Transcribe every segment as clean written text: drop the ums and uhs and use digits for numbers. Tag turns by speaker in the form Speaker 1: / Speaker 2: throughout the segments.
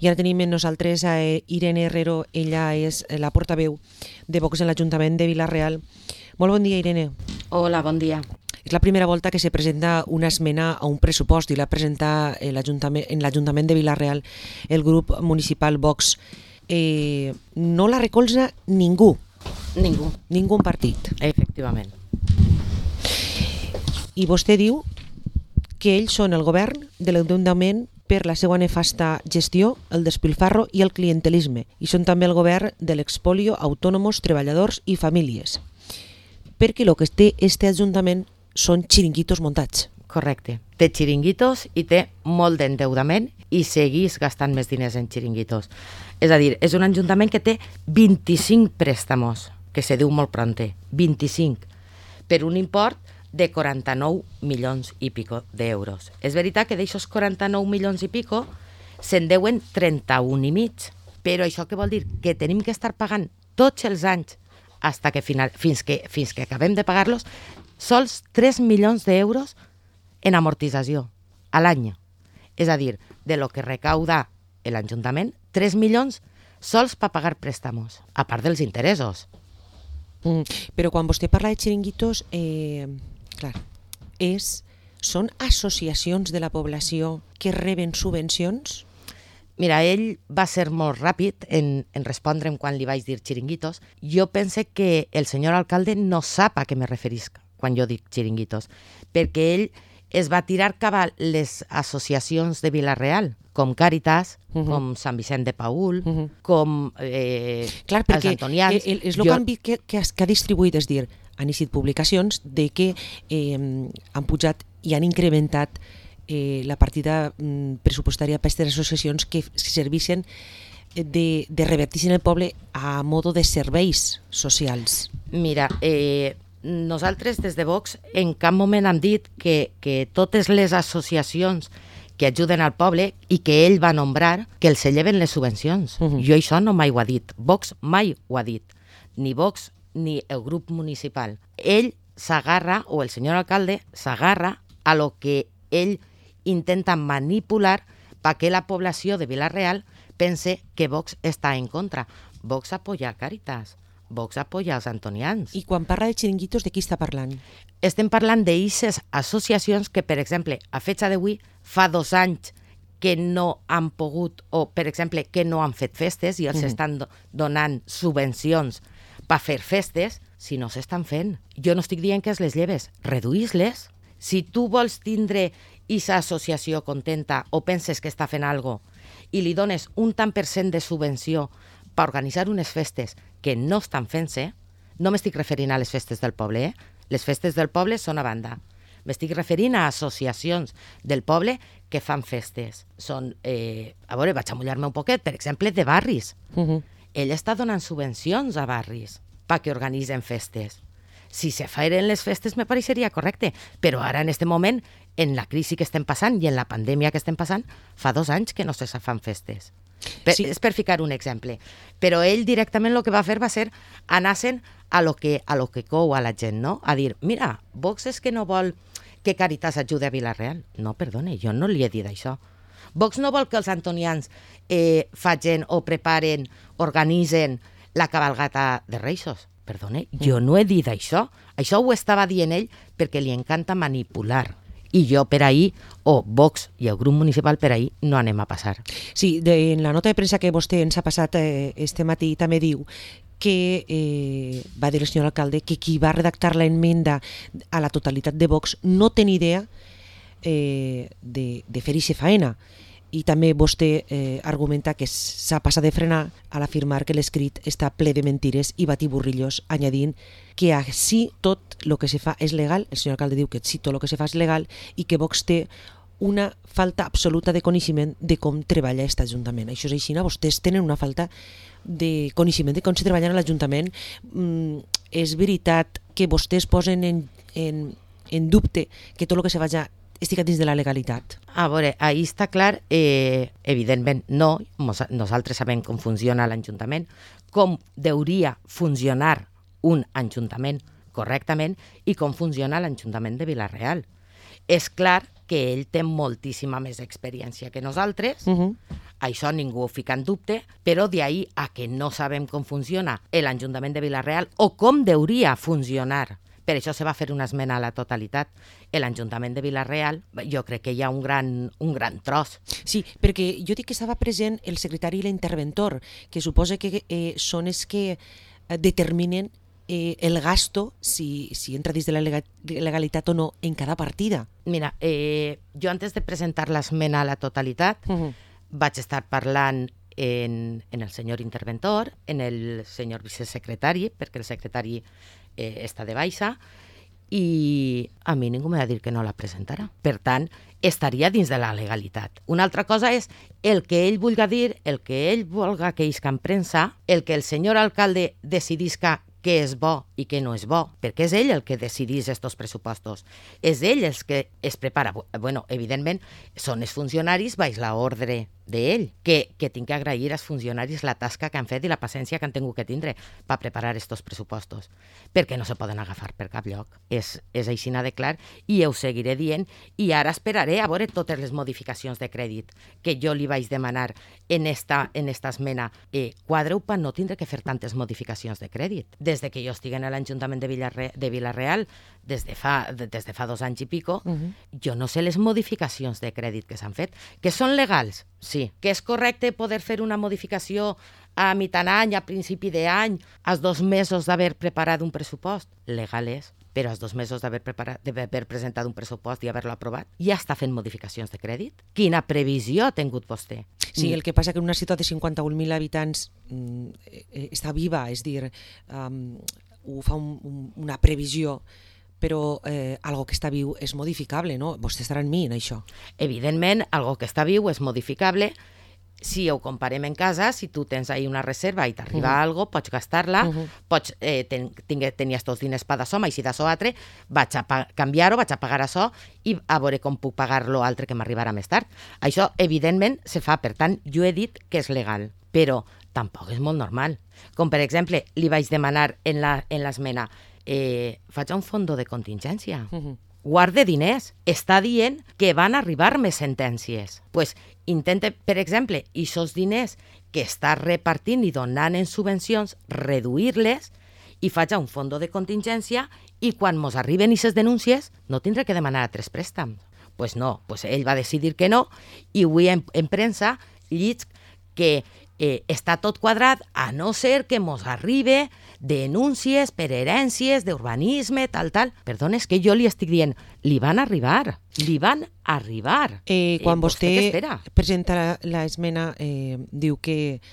Speaker 1: I ara tenim amb nosaltres a Irene Herrero, ella és la portaveu de Vox en l'Ajuntament de Vila-real. Molt bon dia, Irene.
Speaker 2: Hola, bon dia.
Speaker 1: És la primera volta que se presenta una esmena a un pressupost i la presenta en l'Ajuntament de Vila-real el grup municipal Vox. No la recolza ningú. Ningú partit.
Speaker 2: Efectivament.
Speaker 1: I vostè diu que ells són el govern de l'Ajuntament per la seva nefasta gestió, el despilfarro i el clientelisme, i són també el govern de l'expolio autònoms, treballadors i famílies. Perquè el que té este Ajuntament són xiringuitos muntats.
Speaker 2: Correcte. Té xiringuitos i té molt d'endeudament i seguís gastant més diners en xiringuitos. És a dir, és un ajuntament que té 25 préstamos, que se diu molt pronte, 25, per un import de 49 milions i pico d'euros. És veritat que d'aixòs 49 milions i pico se'n deuen 31 i mig, però això què vol dir? Que tenim que estar pagant tots els anys fins que acabem de pagar-los sols 3 milions d'euros en amortització a l'any. És a dir, de lo que recauda l'Ajuntament, 3 milions sols per pagar préstamos, a part dels interessos.
Speaker 1: Però quan vostè parla de xiringuitos, clar, són associacions de la població que reben subvencions?
Speaker 2: Mira, ell va ser molt ràpid en respondre'm quan li vaig dir xiringuitos. Jo pense que el senyor alcalde no sap a què me referisc quan jo dic xiringuitos, perquè ell es va tirar cap a les associacions de Vila-real, com Càritas, com Sant Vicent de Paül, com els Antonians.
Speaker 1: És el canvi que ha distribuït, és dir, han eixit publicacions de que han pujat i han incrementat la partida pressupostària per aquestes associacions que serveixen de revertir en el poble a modo de serveis socials.
Speaker 2: Mira, nosaltres des de Vox en cap moment hem dit que totes les associacions que ajuden al poble i que ell va nombrar, que els lleven les subvencions. Jo això no mai ho ha dit. Vox mai ho ha dit. Ni Vox ni el grup municipal. Ell s'agarra, o el senyor alcalde s'agarra a lo que ell intenta manipular perquè la població de Vila-real pense que Vox està en contra. Vox apoya Càritas. Vox apoya els Antonians.
Speaker 1: I quan parla de xiringuitos, de qui està parlant?
Speaker 2: Estem parlant d'eixes associacions que, per exemple, a fecha d'avui, fa 2 anys que no han pogut, o, per exemple, que no han fet festes i els estan donant subvencions per fer festes, si no s'estan fent. Jo no estic dient que es les lleves, reduïs-les. Si tu vols tindre aquesta associació contenta o penses que està fent alguna cosa i li dones un tant per cent de subvenció per organitzar unes festes que no estan fent-se, no m'estic referint a les festes del poble, Les festes del poble són a banda. M'estic referint a associacions del poble que fan festes. Són, a veure, vaig a mullar-me un poquet, per exemple, de barris. Ell està donant subvencions a barris perquè organitzen festes. Si se feren les festes me pareixeria correcte, però ara en aquest moment, en la crisi que estem passant i en la pandèmia que estem passant, fa 2 anys que no se fan festes. Sí. És per ficar un exemple. Però ell directament el que va fer va ser anar-se'n a lo que cou a la gent, no? A dir, mira, Vox és que no vol que Càritas ajude a Vila-real. No, perdone, jo no li he dit això. Vox no vol que els antonians facin o preparen, organitzen la cabalgata de Reixos. Perdone, jo no he dit això. Això ho estava dient ell perquè li encanta manipular. I jo per ahir, o Vox i el grup municipal per ahir, no anem a passar.
Speaker 1: Sí, en la nota de premsa que vostè ens ha passat este matí també diu que va dir el senyor alcalde que qui va redactar la enmenda a la totalitat de Vox no té ni idea de fer ixe faena. I també vostè argumenta que s'ha passat de frenar a l'afirmar que l'escrit està ple de mentires i batiburrillos, añadint que així tot el que se fa és legal. El senyor alcalde diu que sí, tot el que se fa és legal i que Vox té una falta absoluta de coneixement de com treballa aquest Ajuntament. Això és així, vostès tenen una falta de coneixement de com se treballa a l'Ajuntament. És veritat que vostès posen en dubte que tot el que se faci estic dins de la legalitat.
Speaker 2: A veure, ahí està clar, evidentment no, nosaltres sabem com funciona l'Ajuntament, com hauria funcionar un Ajuntament correctament i com funciona l'Ajuntament de Vila-real. És clar que ell té moltíssima més experiència que nosaltres, això ningú ho fica en dubte, però d'ahir a que no sabem com funciona l'Ajuntament de Vila-real o com hauria funcionar. Per això se va fer una esmena a la totalitat. L'Ajuntament de Vila-real, jo crec que hi ha un gran tros.
Speaker 1: Sí, perquè jo dic que estava present el secretari i l'interventor, que suposa que són els que determinen el gasto, si entra dins de la legalitat o no, en cada partida.
Speaker 2: Mira, jo antes de presentar l'esmena a la totalitat vaig estar parlant en el senyor interventor, en el senyor vicesecretari, perquè el secretari està de baixa, i a mi ningú m'ha de dir que no la presentarà. Per tant, estaria dins de la legalitat. Una altra cosa és el que ell vulga dir, el que ell vulga que isca en premsa, el que el senyor alcalde decidisca què és bo i què no és bo, perquè és ell el que decidís estos pressupostos. És ell el que es prepara. Bueno, evidentment, són els funcionaris baix l'ordre d'ell, que tinc que agrair als funcionaris la tasca que han fet i la paciència que han tingut que tindre per preparar estos pressupostos, perquè no se poden agafar per cap lloc. És aixina de clar i ho seguiré dient, i ara esperaré a veure totes les modificacions de crèdit que jo li vaig demanar en esta esmena. Quadreu per no tindre que fer tantes modificacions de crèdit. Des de que jo estic a l'Ajuntament de Vila-real, des de fa 2 anys i pico, jo no sé les modificacions de crèdit que s'han fet, que són legals, sí. Que és correcte poder fer una modificació a mitjan any, a principi d'any, als 2 mesos d'haver preparat un pressupost? Legal és, però als 2 mesos d'haver presentat un pressupost i haver-lo aprovat, ja està fent modificacions de crèdit? Quina previsió ha tingut vostè?
Speaker 1: Sí, el que passa que en una ciutat de 51.000 habitants està viva, és dir, ho fa una previsió, però algo que està viu és modificable, no? Vostè estarà en mi en això.
Speaker 2: Evidentment, algo que està viu és modificable. Si ho comparem en casa, si tu tens ahí una reserva i t'arriba algo, pots gastar-la, pots tenir estos diners per d'això, i si d'això altre, vaig a canviar-ho, vaig a pagar això i a veure com puc pagar-lo altre que m'arribarà més tard. Això, evidentment, se fa. Per tant, jo he dit que és legal, però tampoc és molt normal. Com, per exemple, li vaig demanar en l'esmena, faig un fons de contingència. Guarde diners. Està dient que van arribar més sentències. Pues intente, per exemple, aquests diners que està repartint i donant en subvencions, reduir-les i faig un fons de contingència i quan mos arriben aquestes denúncies no tindré que demanar 3 préstams. Pues no, pues ell va decidir que no i avui en premsa llig que està tot quadrat, a no ser que mos arribe denúncies per herències d'urbanisme, tal. Perdona, és que jo li estic dient, li van arribar.
Speaker 1: Quan vostè presenta l'esmena, diu que,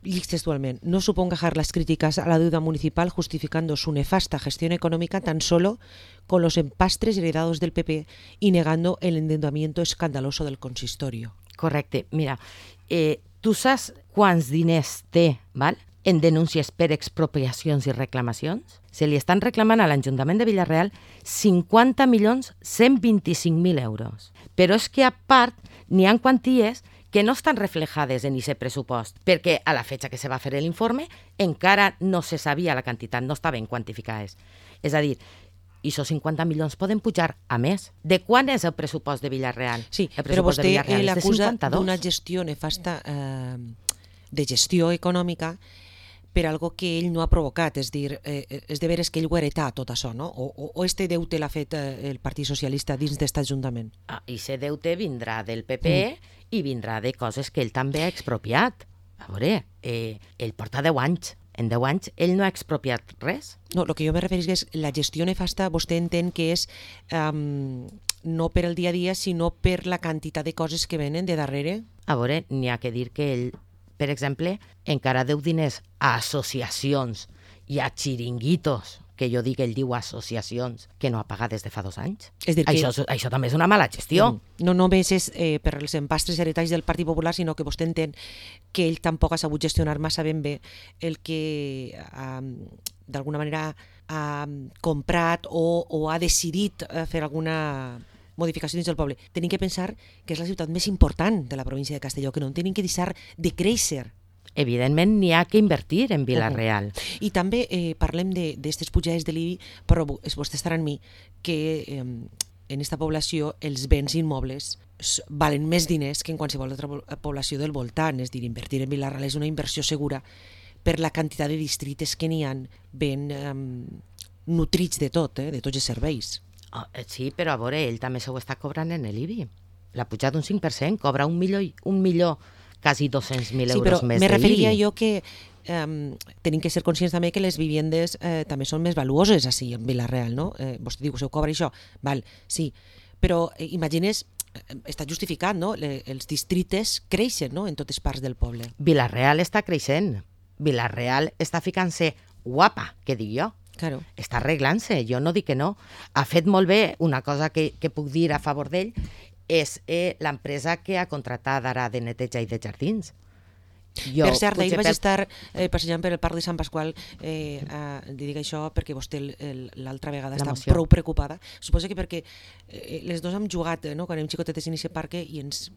Speaker 1: llig textualment, no suponga dejar las críticas a la deuda municipal justificando su nefasta gestión económica tan solo con los empastres heredados del PP y negando el endeudamiento escandaloso del consistorio.
Speaker 2: Correcte. Mira, tu saps quants diners té, val? En denúncies per expropiacions i reclamacions? Se li estan reclamant a l'Ajuntament de Vila-real 50.125.000 euros. Però és que a part n'hi ha quanties que no estan reflejades en aquest pressupost, perquè a la fecha que se va fer l'informe encara no se sabia la quantitat, no estaven quantificades. És a dir, i aquests 50 milions poden pujar a més. De quan és el pressupost de Vila-real?
Speaker 1: Sí, però vostè l'acusa d'una gestió nefasta de gestió econòmica per algo que ell no ha provocat, és dir, és de veres que ell ho heretà tot això, no? O este deute l'ha fet el Partit Socialista dins d'aquest Ajuntament?
Speaker 2: I aquest deute vindrà del PP i vindrà de coses que ell també ha expropiat. A veure, ell porta 10 anys. En 10 anys ell no ha expropiat res.
Speaker 1: No, el que jo me refereix és la gestió nefasta, vostè entén que és no per el dia a dia, sinó per la quantitat de coses que venen de darrere?
Speaker 2: A veure, n'hi ha que dir que ell, per exemple, encara deu diners a associacions i a xiringuitos, que jo dic, ell diu associacions, que no ha pagat des de fa 2 anys.
Speaker 1: És dir,
Speaker 2: això també és una mala gestió.
Speaker 1: No només és per els empastres heretats del Partit Popular, sinó que vostè entén que ell tampoc ha sabut gestionar massa ben bé el que d'alguna manera ha comprat o ha decidit fer alguna modificació dins del poble. Tenim que pensar que és la ciutat més important de la província de Castelló, que no en tenim que deixar de créixer.
Speaker 2: Evidentment n'hi ha que invertir en Vila-real.
Speaker 1: I també parlem d'aquestes pujades de l'IBI, però vostè estarà en mi que en aquesta població els béns immobles valen més diners que en qualsevol altra població del voltant. És a dir, invertir en Vila-real és una inversió segura per la quantitat de districtes que n'hi ha ben nutrits de tot, de tots els serveis.
Speaker 2: Sí, però a veure, ell també s'ho està cobrant en l'IBI. L'ha pujat un 5%, cobra 1.000.000, quasi 200.000 euros més
Speaker 1: me
Speaker 2: de
Speaker 1: referia
Speaker 2: IBI.
Speaker 1: jo que tenim que ser conscients també que les viviendes també són més valuoses així en Vila-real, no? Vostè diu que se ho cobra això, val, sí, però imagines, està justificat, no? Els districtes creixen, no?, en totes parts del poble.
Speaker 2: Vila-real està creixent. Vila-real està ficant-se guapa, que dic jo.
Speaker 1: Claro.
Speaker 2: Està arreglant-se, jo no dic que no. Ha fet molt bé, una cosa que puc dir a favor d'ell, és l'empresa que ha contratat ara de neteja i de jardins.
Speaker 1: Jo, per cert, ahir vaig estar passejant per el Parc de Sant Pasqual, li dic això perquè vostè l'altra vegada està prou preocupada. Suposo que perquè les dos hem jugat, no?, quan érem xicotetes en aquest parc i ens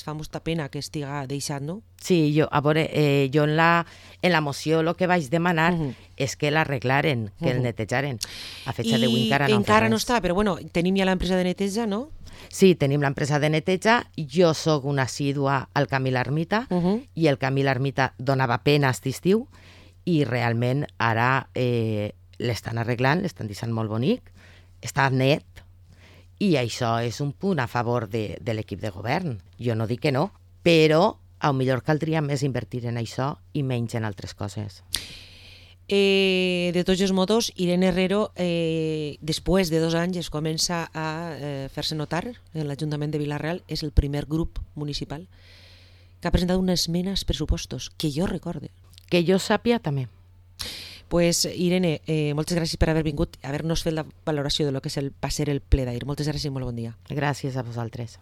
Speaker 1: fa molta pena que estiga deixat, no?
Speaker 2: Sí, a veure, jo en la moció el que vaig demanar és que l'arreglaren, que el netejaren. A fecha d'avui
Speaker 1: encara no està, però bueno, tenim ja l'empresa de neteja, no?
Speaker 2: Sí, tenim l'empresa de neteja, jo sóc una assídua al Camí l'Ermita i el Camí l'Ermita donava pena aquest estiu i realment ara l'estan arreglant, l'estan deixant molt bonic, està net i això és un punt a favor de l'equip de govern. Jo no dic que no, però potser caldria més invertir en això i menys en altres coses.
Speaker 1: De tots els modos, Irene Herrero, després de 2 anys, es comença a fer-se notar en l'Ajuntament de Vila-real. És el primer grup municipal que ha presentat una esmena als pressupostos, que jo recorde.
Speaker 2: Que jo sàpia també.
Speaker 1: Pues, Irene, moltes gràcies per haver vingut, haver-nos fet la valoració de lo que va ser el ple d'ahir. Moltes gràcies i molt bon dia.
Speaker 2: Gràcies a vosaltres.